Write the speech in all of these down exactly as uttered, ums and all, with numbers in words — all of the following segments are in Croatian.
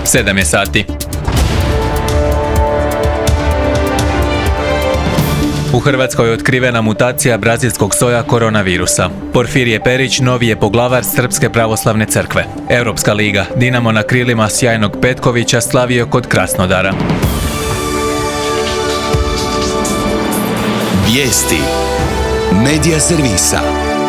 sedam je sati. U Hrvatskoj je otkrivena mutacija brazilskog soja koronavirusa. Porfirije Perić novi je poglavar Srpske pravoslavne crkve. Europska liga, Dinamo na krilima sjajnog Petkovića slavio kod Krasnodara. Vijesti Medija servisa.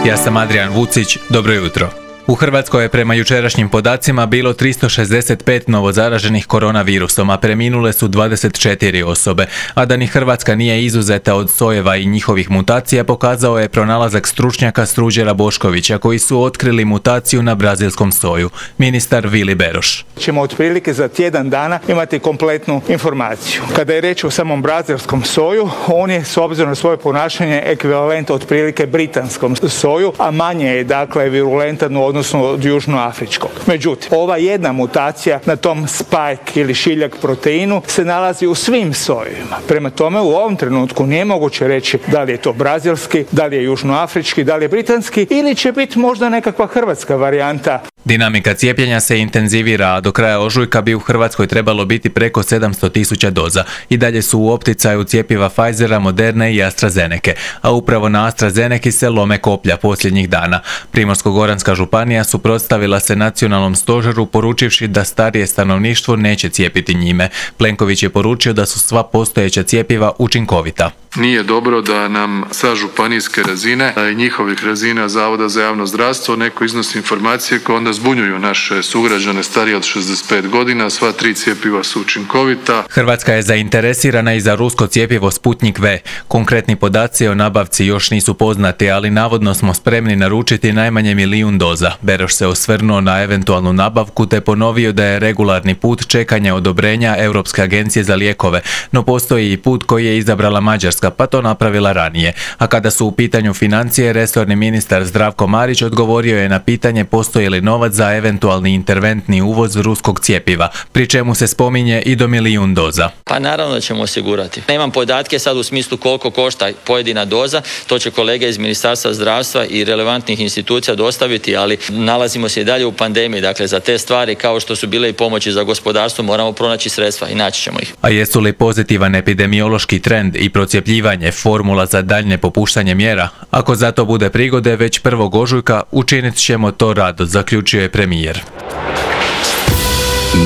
Ja sam Adrian Vucić, dobro jutro. U Hrvatskoj je prema jučerašnjim podacima bilo tristo šezdeset pet novozaraženih koronavirusom, a preminule su dvadeset četiri osobe, a da ni Hrvatska nije izuzeta od sojeva i njihovih mutacija pokazao je pronalazak stručnjaka Ruđera Boškovića koji su otkrili mutaciju na brazilskom soju. Ministar Vili Beroš. Ćemo otprilike za tjedan dana imati kompletnu informaciju. Kada je reč o samom brazilskom soju, on je s obzirom na svoje ponašanje ekvivalent otprilike britanskom soju, a manje je dakle virulentan u odnosu od južnoafričkog. Međutim, ova jedna mutacija na tom spike ili šiljak proteinu se nalazi u svim sojevima. Prema tome, u ovom trenutku nije moguće reći da li je to brazilski, da li je južnoafrički, da li je britanski ili će biti možda nekakva hrvatska varijanta. Dinamika cijepljenja se intenzivira, a do kraja ožujka bi u Hrvatskoj trebalo biti preko sedamsto tisuća doza. I dalje su u opticaju cjepiva Pfizera, Moderne i AstraZeneke, a upravo na AstraZeneki se lome koplja posljednjih dana. Primorsko-goranska županija suprotstavila se nacionalnom stožeru poručivši da starije stanovništvo neće cijepiti njime. Plenković je poručio da su sva postojeća cjepiva učinkovita. Nije dobro da nam sa županijske razine i njihovih razina Zavoda za javno zdravstvo neko iznosi informacije koje onda zbunjuju naše sugrađane starije od šezdeset pet godina. Sva tri cjepiva su učinkovita. Hrvatska je zainteresirana i za rusko cjepivo Sputnik V. Konkretni podaci o nabavci još nisu poznati, ali navodno smo spremni naručiti najmanje milijun doza. Beroš se osvrnuo na eventualnu nabavku te ponovio da je regularni put čekanja odobrenja Europske agencije za lijekove, no postoji i put koji je izabrala Mađarska, pa to napravila ranije. A kada su u pitanju financije, resorni ministar Zdravko Marić odgovorio je na pitanje postoji li novac za eventualni interventni uvoz ruskog cjepiva, pri čemu se spominje i do milijun doza. Pa naravno da ćemo osigurati. Nemam podatke sad u smislu koliko košta pojedina doza, to će kolege iz Ministarstva zdravstva i relevantnih institucija dostaviti, ali nalazimo se i dalje u pandemiji, dakle za te stvari kao što su bile i pomoći za gospodarstvo moramo pronaći sredstva i naći ćemo ih. A jesu li pozitivan epidemiološki trend i procjepljivanje formula za daljnje popuštanje mjera? Ako za to bude prigode, već prvog ožujka učinit ćemo to rado, zaključio je premijer.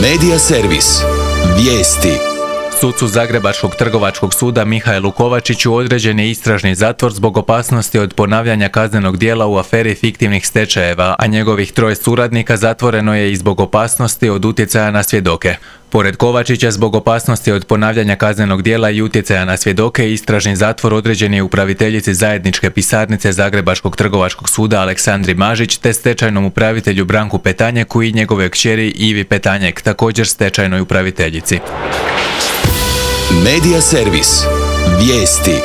Medija servis. Vijesti. Sucu Zagrebačkog trgovačkog suda Mihaelu Kovačiću određen je istražni zatvor zbog opasnosti od ponavljanja kaznenog djela u aferi fiktivnih stečajeva, a njegovih troje suradnika zatvoreno je i zbog opasnosti od utjecaja na svjedoke. Pored Kovačića, zbog opasnosti od ponavljanja kaznenog djela i utjecaja na svjedoke, istražni zatvor određen je upraviteljici zajedničke pisarnice Zagrebačkog trgovačkog suda Aleksandri Mažić te stečajnom upravitelju Branku Petanjeku i njegove kćeri Ivi Petanjek, također stečajnoj upraviteljici. Medija servis. Vijesti.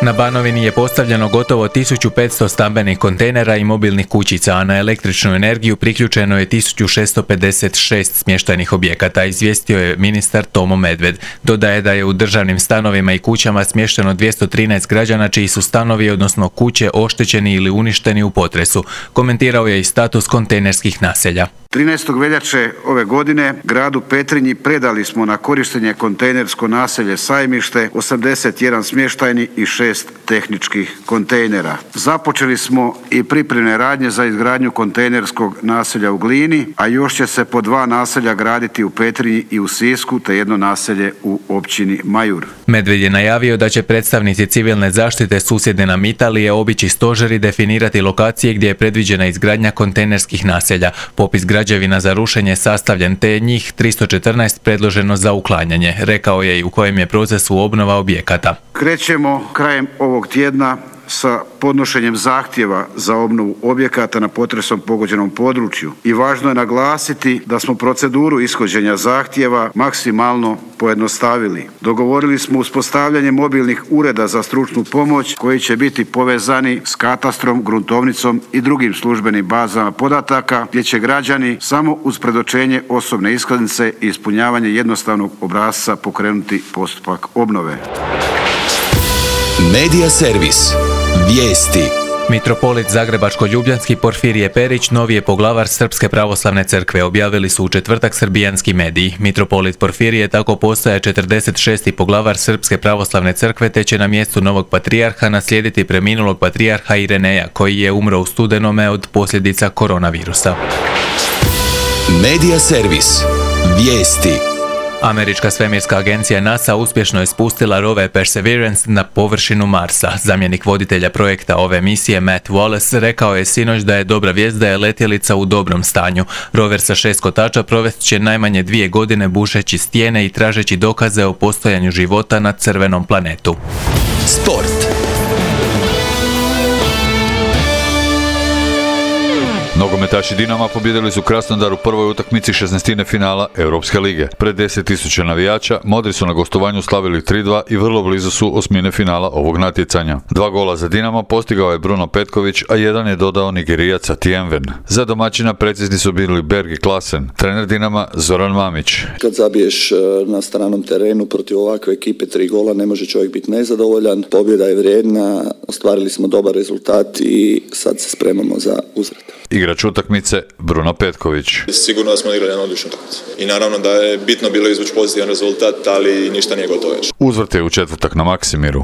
Na Banovini je postavljeno gotovo tisuću petsto stambenih kontejnera i mobilnih kućica, a na električnu energiju priključeno je tisuću šesto pedeset šest smještajnih objekata, izvijestio je ministar Tomo Medved. Dodaje da je u državnim stanovima i kućama smješteno dvjesto trinaest građana čiji su stanovi, odnosno kuće, oštećeni ili uništeni u potresu. Komentirao je i status kontejnerskih naselja. trinaestog veljače ove godine gradu Petrinji predali smo na korištenje kontejnersko naselje Sajmište, osamdeset jedan smještajni i šest tehničkih kontejnera. Započeli smo i pripremne radnje za izgradnju kontejnerskog naselja u Glini, a još će se po dva naselja graditi u Petrinji i u Sisku, te jedno naselje u općini Majur. Medved je najavio da će predstavnici civilne zaštite susjedne nam Italije obići stožer i definirati lokacije gdje je predviđena izgradnja kontejnerskih naselja. Popis građevina za rušenje sastavljen, te je njih tristo četrnaest predloženo za uklanjanje, rekao je i u kojem je procesu obnova objekata. Krećemo krajem ovog tjedna sa podnošenjem zahtjeva za obnovu objekata na potresom pogođenom području i važno je naglasiti da smo proceduru ishođenja zahtjeva maksimalno pojednostavili. Dogovorili smo uspostavljanje mobilnih ureda za stručnu pomoć koji će biti povezani s katastrom, gruntovnicom i drugim službenim bazama podataka gdje će građani samo uz predočenje osobne iskaznice i ispunjavanje jednostavnog obrasca pokrenuti postupak obnove. Medija servis. Vijesti. Mitropolit Zagrebačko-ljubljanski Porfirije Perić novi je poglavar Srpske pravoslavne crkve, objavili su u četvrtak srbijanski mediji. Mitropolit Porfirije tako postaje četrdeset šesti poglavar Srpske pravoslavne crkve te će na mjestu novog patrijarha naslijediti preminulog patrijarha Irineja, koji je umro u studenome od posljedica koronavirusa. Medija servis. Vijesti. Američka svemirska agencija NASA uspješno je spustila rover Perseverance na površinu Marsa. Zamjenik voditelja projekta ove misije Matt Wallace rekao je sinoć da je dobra vijest da je letjelica u dobrom stanju. Rover sa šest kotača provest će najmanje dvije godine bušeći stijene i tražeći dokaze o postojanju života na crvenom planetu. Sport. Nogometaši Dinama pobijedili su Krasnodar u prvoj utakmici šesnaestine finala Europske lige. Pred deset tisuća navijača Modri su na gostovanju slavili tri dva i vrlo blizu su osmine finala ovog natjecanja. Dva gola za Dinamo postigao je Bruno Petković, a jedan je dodao Nigerijac Atienven. Za domaćina precizni su bili Berg i Klasen. Trener Dinama Zoran Mamić. Kad zabiješ na stranom terenu protiv ovakve ekipe tri gola, ne može čovjek biti nezadovoljan. Pobjeda je vrijedna, ostvarili smo dobar rezultat i sad se spremamo za uzvrat. Igrač utakmice Bruno Petković. Sigurno da smo igrali na odličnu utakmicu. I naravno da je bitno bilo izvući pozitivan rezultat, ali ništa nije gotovo još. Uzvrt je u četvrtak na Maksimiru.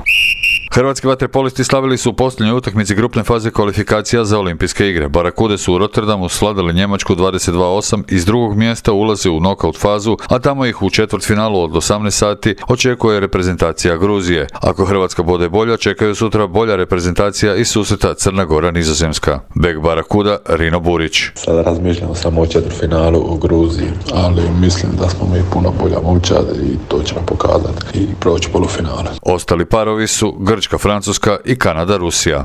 Hrvatski vaterpolisti slavili su u posljednjoj utakmici grupne faze kvalifikacija za olimpijske igre. Barakude su u Rotterdamu svladali Njemačku dvadeset dva osam i iz drugog mjesta ulaze u nokaut fazu, a tamo ih u četvrtfinalu od osamnaest sati očekuje reprezentacija Gruzije. Ako Hrvatska bude bolja, čekaju sutra bolja reprezentacija i susreta Crna Gora Nizozemska. Bek Barakuda Rino Burić. Sada razmišljamo samo o četvrtfinalu u Gruziji, ali mislim da smo mi puno bolja momčad i to ćemo pokazati i proći polufinale. Ostali parovi su Grčka, Francuska i Kanada, Rusija.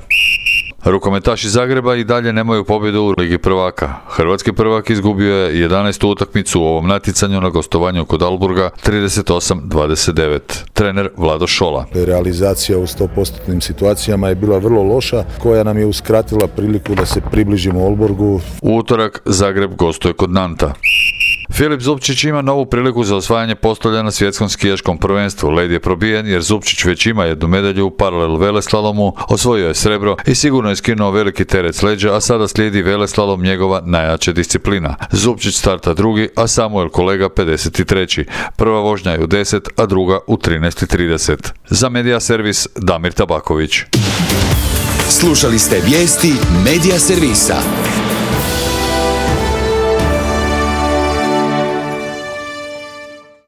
Rukometaši Zagreba i dalje nemaju pobjedu u Ligi prvaka. Hrvatski prvak izgubio je jedanaestu utakmicu u ovom natjecanju na gostovanju kod Alburga trideset osam dvadeset devet. Trener Vlado Šola. Realizacija u sto posto situacijama je bila vrlo loša, koja nam je uskratila priliku da se približimo Olborgu. U utorak Zagreb gostuje kod Nanta. Filip Zupčić ima novu priliku za osvajanje postolja na svjetskom skijaškom prvenstvu. Led je probijen jer Zupčić već ima jednu medalju u paralel veleslalomu, osvojio je srebro i sigurno je skinuo veliki teret s leđa, a sada slijedi veleslalom, njegova najjača disciplina. Zupčić starta drugi, a Samuel Kolega pedeset treći. Prva vožnja je u deset, a druga u trinaest i trideset. Za Medija servis Damir Tabaković. Slušali ste vijesti Medija servisa.